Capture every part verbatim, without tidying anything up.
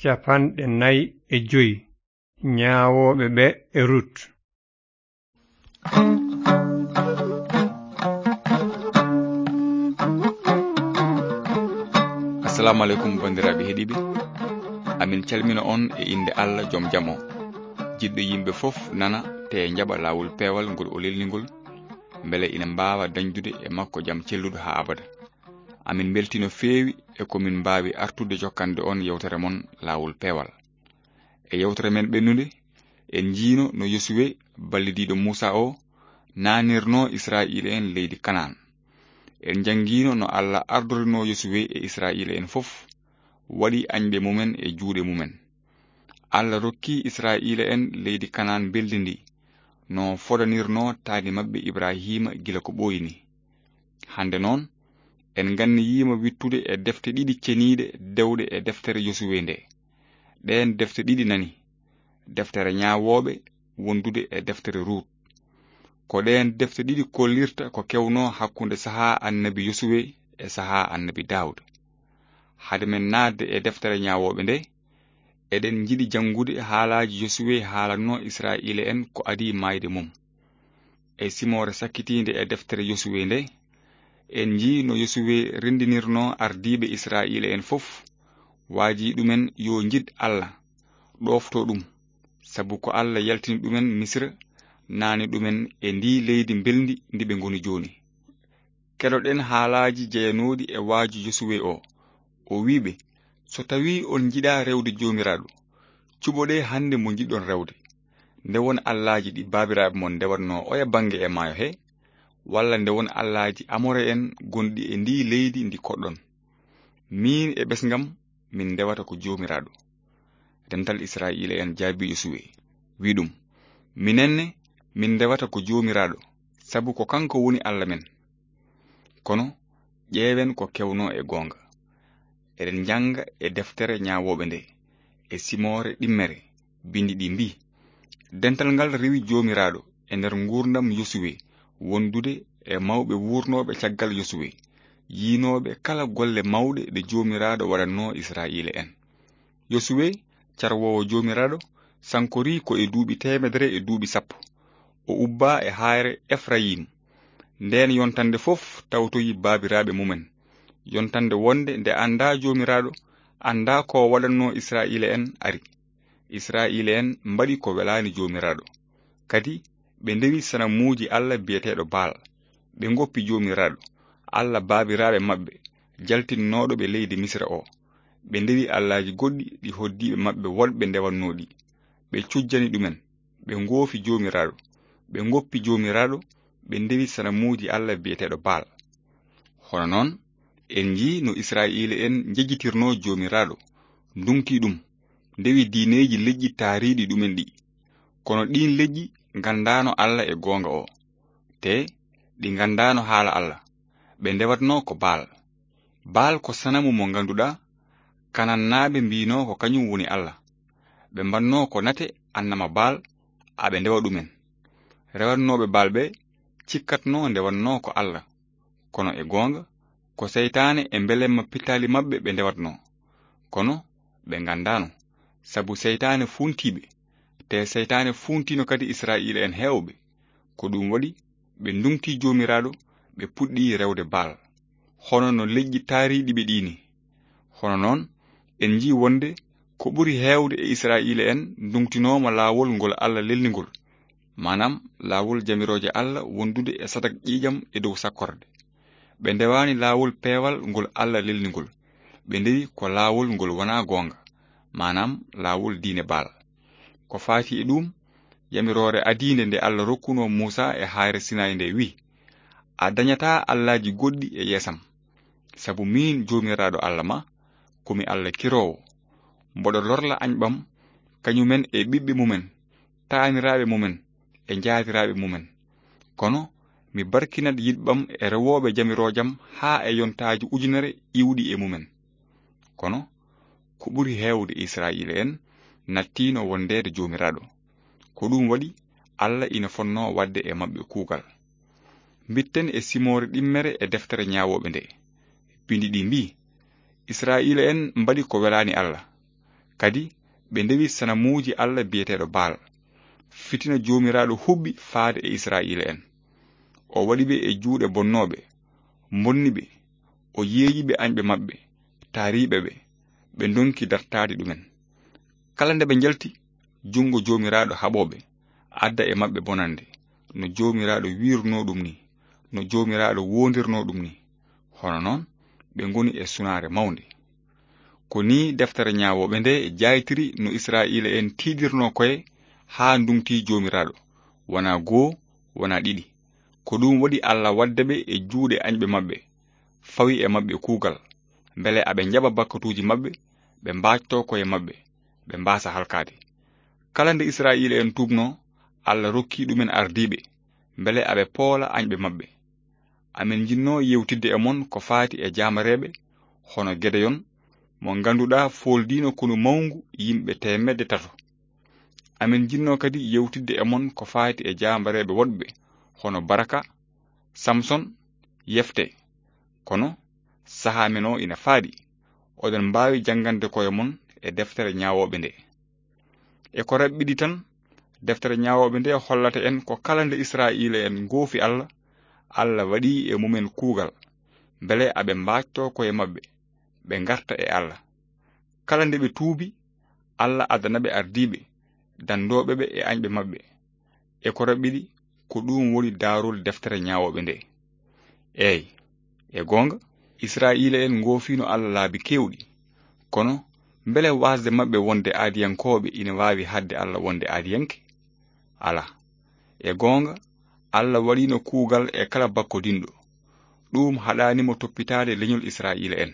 Cappanɗe nayi e joy. Ñaawooɓe ɓe e Rut. Assalamu aleykum, banndiraaɓe heɗiiɓe. Amin calmina on e innde Allah jom jam o. Jiɗɗo yimɓe fof nana te jaɓa laawol peewal ngol o lelni ngol, mbele ina mbaawa dañdude e makko jam celluɗo haa abada. Amin mbeltii no feewi e ko min mbaawi artude jokkande on yewtere mon laawol peewal. E yewtere men ɓennunde, en njiino no Yosuwe, ballidiiɗo Muusa o, naanirnoo Israa'iila'en leydi Kanaan. En njanngiino no Allah ardorinoo Yosuwe e Israa'iila'en fof, waɗi añɓe mumen e juuɗe mumen. Allah rokki Israa'iila'en leydi Kanaan mbelndi ndi, no fodanirnoo taani maɓɓe Ibrahiima gila ko ɓooyi ni. Hannde noon, en nganniyiima wittude e defte ɗiɗi ceniiɗe dewɗe e deftere Yosuwe nde. Ɗeen defte ɗiɗi nani, deftere Ñaawooɓe wondude e deftere Ruut. Ko ɗeen defte ɗiɗi kollirta ko kewnoo hakkunde sahaa annabi Yosuwe e sahaa annabi Daawuda. Hade men naatde e deftere Ñaawooɓe nde, eɗen njiɗi janngude haalaaji Yosuwe haalannoo Israa'iila'en ko adii maayde mum. E simoore sakkitiinde e deftere Yosuwe nde, en njii no Yosuwe renndinirnoo ardiiɓe Israa'iila'en fof, waajii ɗumen yo njid Allah, ɗoofto ɗum, sabu ko Allah yaltini ɗumen Misira, naani ɗumen e ndii leydi mbelndi ndi ɓe ngoni jooni. Keɗoɗen haalaaji jeyanooɗi e waaju Yosuwe o. O wi'i ɓe, "So tawii on njiɗaa rewde Joomiraaɗo, cuɓoɗee hannde mo njiɗɗon rewde. Nde won allaaji ɗi baabiraaɓe mon ndewatnoo oya bannge e maayo he, walla nde won allaaji Amore'en gonɗi e ndii leydi ndi koɗɗon. Miin e ɓesngam, min ndewata ko Joomiraaɗo." Dental Israa'iila'en jaabii Yosuwe, wi'i ɗum, "Minen ne, min ndewata ko Joomiraaɗo, sabu ko kanko woni Allah men." Kono ƴeewen ko kewnoo e goonga. Eɗen njannga e deftere Ñaawooɓe nde, e simoore ɗimmere, binndi ɗi mbii, "Dental ngal rewi Joomiraaɗo e nder nguurndam Yosuwe, wondude e mawɓe wuurnooɓe caggal Yosuwe, yiinooɓe kala golle mawɗe ɗe Joomiraaɗo waɗannoo Israa'iila'en." Yosuwe, carwoowo Joomiraaɗo, sankorii ko e duuɓi teemedere e duuɓi sappo. O ubbaa e haayre Efrayim. Ndeen yontannde fof tawtoyi baabiraaɓe mumen. Yontannde wonde nde anndaa Joomiraaɗo, anndaa ko waɗannoo Israa'iila'en ari. Israa'iila'en mbaɗi ko welaani Joomiraaɗo. Kadi ɓe ndewi sanamuuji Allah biyeteeɗo Baal. Ɓe ngoppi Joomiraaɗo, Allah baabiraaɓe maɓɓe, jaltinnooɗo ɓe leydi Misira o. Ɓe ndewi allaaji goɗɗi ɗi hoddiiɓe maɓɓe woɗɓe ndewatnoo ɗi. Ɓe cujjani ɗumen, ɓe ngoofi Joomiraaɗo, ɓe ngoppi Joomiraaɗo, ɓe ndewi sanamuuji Allah biyeteeɗo Baal. Hono noon, en njii no Israa'iila'en njejjitirnoo Joomiraaɗo, nduŋtii ɗum, ndewi diineeji leƴƴi taariiɗi ɗumen ɗi. Kono ɗiin leƴƴi nganndaano Allah e goonga o, te ɗi nganndaano haala Allah. Ɓe ndewatnoo ko Baal. Baal ko sanamu mo ngannduɗaa Kanannaaɓe mbiinoo ko kañum woni Allah. Ɓe mbannoo ko nate annama Baal, aɓe ndewa ɗumen. Rewatnooɓe Baal ɓe cikkatnoo ndewatnoo ko Allah. Kono e goonga, ko seytaane e mbelemma pittaali maɓɓe ɓe ndewatnoo. Kono ɓe nganndaano, sabu seytaane fuuntii ɓe. Te seytaane fuuntiino kadi Israa'iila'en heewɓe. Ko ɗum waɗi ɓe nduŋtii Joomiraaɗo, ɓe puɗɗii rewde Baal, hono no leƴƴi taariiɗi ɓe ɗii ni. Hono noon, en njii wonde ko ɓuri heewde e Israa'iila'en nduŋtinooma laawol ngol Allah lelni ngol, maanaam laawol jamirooje Allah wondude e sadak ƴiiƴam e dow sakkorde. Ɓe ndewaani laawol peewal ngol Allah lelni ngol. Ɓe ndewi ko laawol ngol wonaa goonga, maanaam laawol diine Baal. Ko faati e ɗuum, yamiroore adiinde nde Allah rokkunoo Muusa e haayre Sinayi nde wi'i, "A dañataa allaaji goɗɗi e yeesam, sabu miin Joomiraaɗo Allah ma, ko mi Allah kiroowo. Mboɗo lorla añɓam, kañumen e ɓiɓɓe mumen, taaniraaɓe mumen e njaatiraaɓe mumen. Kono mi barkinat yiɗɓam e rewooɓe jamiroojam haa e yontaaji ujunere iwɗi e mumen." Kono ko ɓuri heewde Israa'iila'en nattiino wondeede Joomiraaɗo. Ko ɗum waɗi Allah ina fonnoo waɗde e maɓɓe kuugal. Mbitten e simoore ɗimmere e deftere Ñaawooɓe nde. Binndi ɗi mbii, "Israa'iila'en mbaɗi ko welaani Allah. Kadi ɓe ndewi sanamuuji Allah biyeteeɗo Baal. Fitina Joomiraaɗo huɓɓi faade e Israa'iila'en. O waɗi ɓe e juuɗe bonnooɓe, mbonni ɓe, o yeeyi ɓe añɓe maɓɓe, taariiɓe ɓe, ɓe ndonki dartaade ɗum'en. Kala nde ɓe njalti, junngo Joomiraaɗo haɓoo ɓe, adda e maɓɓe bonannde, no Joomiraaɗo wiirnoo ɗum ni, no Joomiraaɗo woondirnoo ɗum ni. Hono noon, ɓe ngoni e sunaare mawnde. Ko nii deftere ñaawooɓe nde jaaytiri no Israa'iila'en tiidirnoo koye haa nduŋtii Joomiraaɗo, wanaa goo, wanaa ɗiɗi. Ko ɗum waɗi Allah wadda ɓe e juuɗe añɓe maɓɓe, fawi e maɓɓe kuugal, mbele aɓe njaɓa bakkatuuji maɓɓe, ɓe mbaajtoo koye maɓɓe, ɓe mbaasa halkaade. Kala nde Israa'iila'en tuubnoo, Allah rokkii ɗum'en ardiiɓe, mbele aɓe poola añɓe maɓɓe. Amin njinnoo yewtidde e mon ko faati e jaamareeɓe, hono Gedeyon, mo ngannduɗaa fooldiino konu mawngu yimɓe teemedde tato. Amin njinnoo kadi yewtidde e mon ko faati e jaamareeɓe woɗɓe, hono Baraka, Samson, Yefte. Kono sahaa men o ina faaɗi. Oɗon mbaawi janngande koye mon e deftere ñaawooɓe nde. E ko raɓɓiɗi tan, deftere ñaawooɓe nde hollata en ko kala nde Israa'iila'en ngoofi Allah, Allah waɗi e mum'en kuugal, mbele aɓe mbaajtoo koye maɓɓe, ɓe ngarta e Allah. Kala nde ɓe tuubi, Allah addana ɓe ardiiɓe, danndooɓe ɓe e añɓe maɓɓe. E ko raɓɓiɗi, ko ɗum woni daarol deftere ñaawooɓe nde. Eey, e goonga, Israa'iila'en ngoofiino Allah laabi keewɗi. Kono, mbele waasde maɓɓe wonde aadiyankooɓe ina waawi haɗde Allah wonde aadiyanke? Alaa. E goonga, Allah waɗiino kuugal e kala bakkodinɗo. Ɗum haɗaani mo toppitaade leñol Israa'iila'en.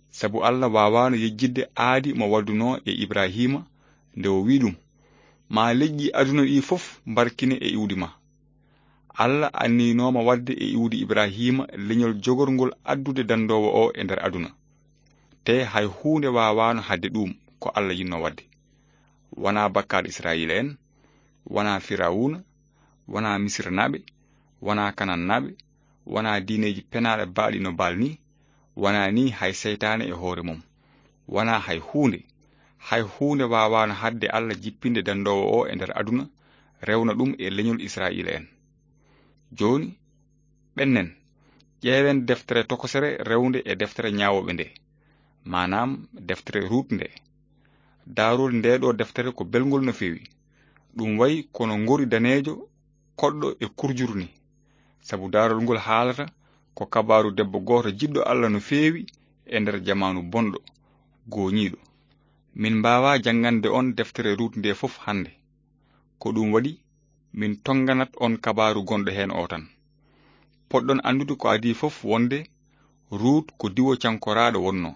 Sabu Allah waawaano yejjitde aadi mo waddunoo e Ibrahiima nde o wi'i ɗum, "Ma leƴƴi aduna ɗi fof mbarkine e iwdi ma." Allah anniynooma waɗde e iwdi Ibrahiima leñol jogorngol addude danndoowo o e nder aduna. Te hay huunde waawaano haɗde ɗum ko Allah yinnoo waɗde. Wanaa bakkaat Israa'iila'en, wanaa Firawuna, wanaa Misirnaaɓe, wanaa Kanaannaaɓe, wanaa diineeji penaaɗe baaɗi no Baal ni, wanaa ni hay seytaane e hoore mum. Wanaa hay huunde, hay huunde waawaano haɗde Allah jippinde danndoowo o e nder aduna, rewna ɗum e leñol Israa'iila'en. Jooni, ɓennen, ƴeewen deftere tokosere rewnde e deftere ñaawooɓe nde, maanaam deftere Ruut nde. Daarol ndee ɗoo deftere ko belngol no feewi. Ɗum wayi kono ngori daneejo koɗɗo e kurjuru ni. Sabu daarol ngol haalata ko kabaaru debbo gooto jiɗɗo Allah no feewi e nder jamaanu bonɗo, gooñiiɗo. Min mbaawaa janngande on deftere Ruut nde fof hannde. Ko ɗum waɗi, min tonnganat on kabaaru gonɗo heen o tan. Poɗɗon anndude ko adii fof wonde Ruut ko diwo cankoraaɗo wonnoo.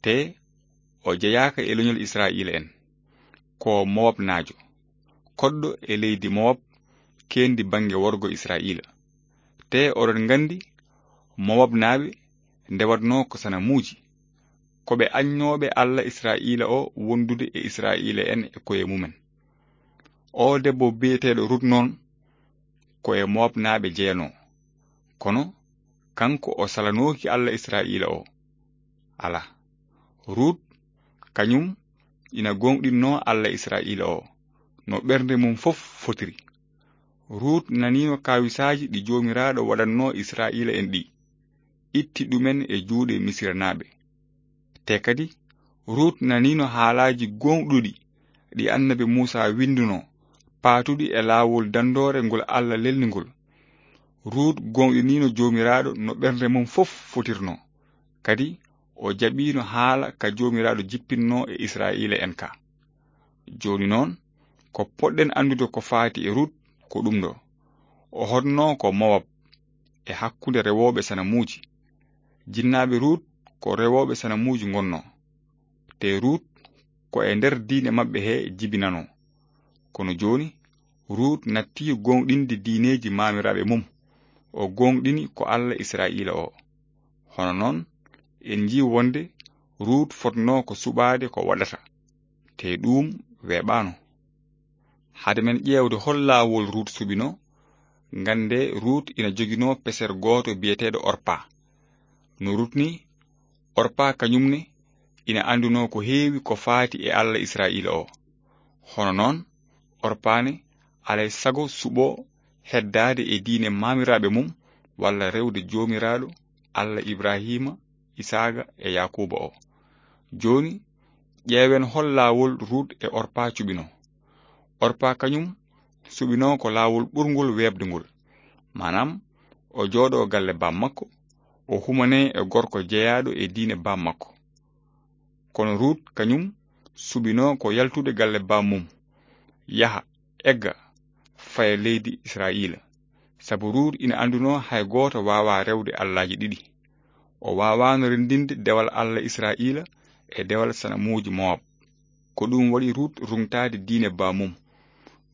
Te o jeyaaka e leñol Israa'iila'en. Ko Mowabnaajo, koɗɗo e leydi Mowab, keendi bannge worgo Israa'iila. Te oɗon nganndi, Mowabnaaɓe ndewatnoo ko sanamuuji. Ko ɓe añnooɓe Allah Israa'iila o wondude e Israa'iila'en e koye mumen. Oo debbo biyeteeɗo Rut noon, ko e Mowabnaaɓe jeyanoo. Kono kanko o salanooki Allah Israa'iila o. Alaa. Rut, kañum, ina gooŋɗinnoo Allah Israa'iila o, no ɓernde mum fof fotiri. Rut naniino kaawisaaji ɗi Joomiraaɗo waɗannoo Israa'iila'en ɗi, itti ɗum'en e juuɗe Misirnaaɓe. Te kadi, Rut naniino haalaaji gooŋɗuɗi ɗi annabi Muusaa winndunoo, paatuɗi e laawol danndoore ngol Allah lelni ngol. Rut gooŋɗiniino Joomiraaɗo no ɓernde mum fof fotirnoo. Kadi, o jaɓiino haala ka Joomiraaɗo jippinnoo e Israa'iila'en ka. Jooni noon, ko poɗɗen anndude ko faati e Rut ko ɗum ɗo. O hoɗnoo ko Mowab, e hakkunde rewooɓe sanamuuji. Jinnaaɓe Rut ko rewooɓe sanamuuji ngonnoo. Te Rut ko e nder diine maɓɓe he jibinanoo. Kono jooni, Rut nattii gooŋɗinde diineeji maamiraaɓe mum. O gooŋɗini ko Allah Israa'iila o. Hono noon, en njii wonde Rut fotnoo ko suɓaade ko waɗata. Te ɗuum weeɓaano. Hade men ƴeewde hol laawol Rut suɓinoo, nganndee Rut ina joginoo peser gooto biyeteeɗo Orpa. No Rut ni, Orpa kañum ne ina anndunoo ko heewi ko faati e Alla Israa'iila o. Hono noon, Orpa ne, alay sago suɓoo heddaade e diine maamiraaɓe mum, walla rewde Joomiraaɗo, Alla Ibrahiima, Isaaqa e Yaakuuba o. Jooni, ƴeewen hol laawol Rut e Orpa cuɓinoo. Orpa kañum suɓinoo ko laawol ɓurngol weeɓde ngol. Maanaam, o jooɗoo galle baam makko, o humanee e gorko jeyaaɗo e diine baam makko. Kono Rut kañum suɓinoo ko yaltude galle baam mum, yaha, egga, faya leydi Israa'iila. Sabu Rut ina anndunoo hay gooto waawaa rewde allaaji ɗiɗi. O waawaano renndinde dewal Alla Israa'iila e dewal sanamuuji Moab. Ko ɗum waɗi Rut ruŋtaade diine baam mum.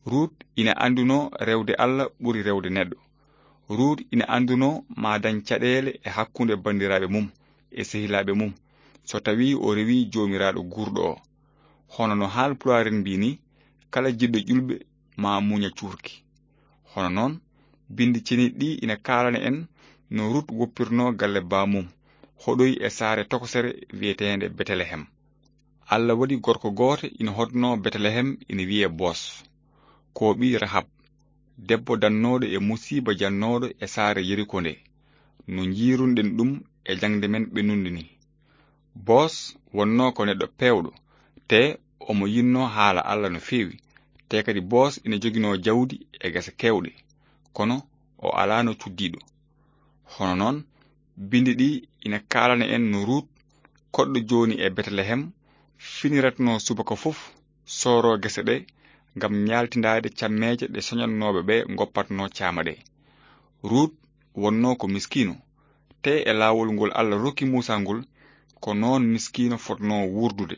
Rut ina anndunoo rewde Alla ɓuri rewde neɗɗo. Rut ina anndunoo maa dañ caɗeele e hakkunde banndiraaɓe mum e sehilaaɓe mum, so tawii o rewii Joomiraaɗo guurɗo o. Hono no Haalpulaar en mbiyi nii, kala jiɗɗo ƴulɓe maa muña cuurki. Hono noon, Binndi ceniiɗi ɗi ina kaalana en no Rut woppirnoo galle baam mum, hoɗoyi e saare tokosere wiyeteende Betelehem. Alla waɗi gorko gooto ina hoɗnoo Betelehem ina wiyee Boos. Ko o ɓii Rahab, debbo dannooɗo e musiiba jannooɗo e saare Yeriko nde, no njiirunɗen ɗum e jaŋde men ɓennunde nii. Boos wonnoo ko neɗɗo peewɗo, te omo yinnoo haala Alla no feewi, te kadi Boos ina joginoo jawdi e gese keewɗe, kono o alaano cuddiiɗo. Hono noon, Binndi ɗi ina kaalana en no Rut, koɗɗo jooni e Betelehem, finiratnoo subaka fof, sooroo gese ɗe ngam ñaaltindaade cammeeje ɗe soñannooɓe ɓe ngoppatnoo caama ɗe. Rut wonnoo ko miskiino, te e laawol ngol Alla rokki Muusaa ngol, ko noon miskiino fotnoo wuurdude,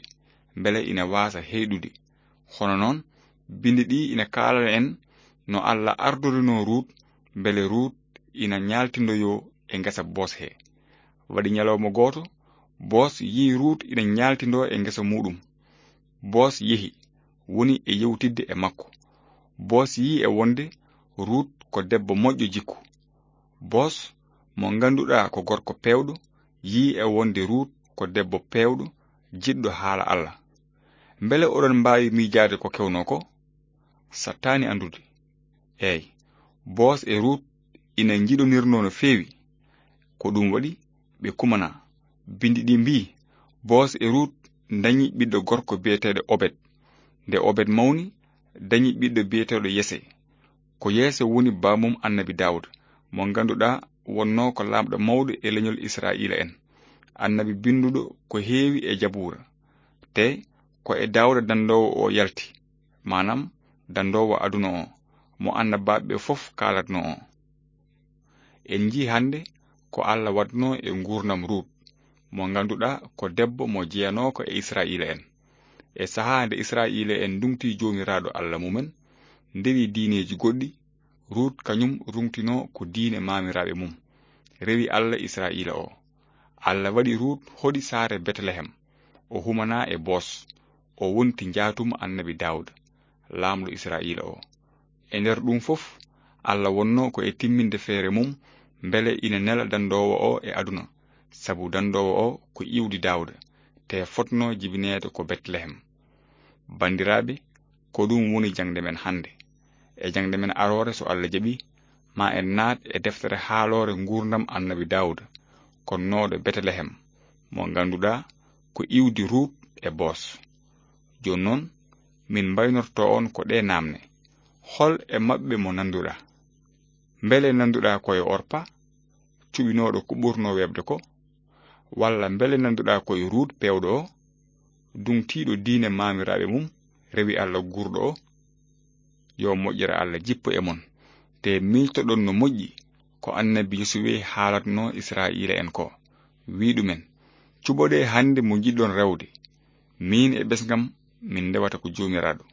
mbele ina waasa heyɗude. Hono noon, Binndi ɗi ina kaalana en no Alla ardorinoo Rut, mbele Rut ina ñaaltindoyoo e ngesa Boos he. Waɗi ñalawma gooto, Boos yii Rut ina ñaaltindoo e ngesa muuɗum. Boos yehi, woni e yewtidde e makko. Boos yii e wonde Rut ko debbo moƴƴo jikku. Boos, mo ngannduɗaa ko gorko peewɗo, yii e wonde Rut ko debbo peewɗo, jiɗɗo haala Alla. Mbele oɗon mbaawi miijaade ko kewnoo ko? Saɗtaani anndude. Eey, Boos e Rut ina njiɗonirnoo no feewi. Ko ɗum waɗi ɓe kumanaa. Binndi ɗi mbiyi, Boos e Rut ndañi ɓiɗɗo gorko biyeteeɗo Obed. Nde Obed mawni, dañi ɓiɗɗo biyeteeɗo Yese. Ko Yese woni baamum Annabi Daawuda, mo ngannduɗaa wonnoo ko laamɗo mawɗo e leñol Israa'iila en, annabi binnduɗo ko heewi e Jabuura. Te ko e Daawuda danndoowo o yalti, maanaam danndoowo aduna o, mo annabaaɓe ɓe fof kaalatnoo o. En njii hannde ko Alla waɗnoo e nguurndam Rut, mo ngannduɗaa ko debbo mo jeyanooka e Israa'iila en. E sahaa nde Israa'iila en nduŋtii Joomiraaɗo Alla mumen, ndewi diineeji goɗɗi, Rut kañum ruŋtinoo ko diine maamiraaɓe mum, rewi Alla Israa'iila o. Alla waɗi Rut hoɗi saare Betelehem, o humanaa e Boos, o wonti njaatuma Annabi Daawuda, laamɗo Israa'iila o. E nder ɗum fof, Alla wonnoo ko e timminde feere mum, mbele ina nela danndoowo o e aduna, sabu danndoowo o ko iwdi Daawuda, te fotnoo jibineede ko Betelehem. Banndiraaɓe, ko ɗum woni jaŋde men hannde. E jaŋde men aroore, so Alla jaɓi, ma en naat e deftere haaloore nguurndam Annabi Daawuda, konnooɗo Betelehem, mo ngannduɗaa ko iwdi Rut e Boos. Jooni noon, min mbaynorto on ko ɗee naamne. Hol e maɓɓe mo nannduɗaa? Mbele nannduɗaa ko e Orpa, cuɓinooɗo ko ɓurnoo weeɓde ko? Walla mbele nannduɗaa ko e Rut peewɗo o, duŋtiiɗo diine maamiraaɓe mum, rewi Alla guurɗo o? Yo moƴƴere Alla jippo e mon. Te miijtoɗon no moƴƴi ko annabi Yosuwe haalatnoo Israa'iila en ko, wii ɗumen, "Cuɓoɗee hannde mo njiɗɗon rewde. Miin e ɓesngam, min ndewata ko Joomiraaɗo."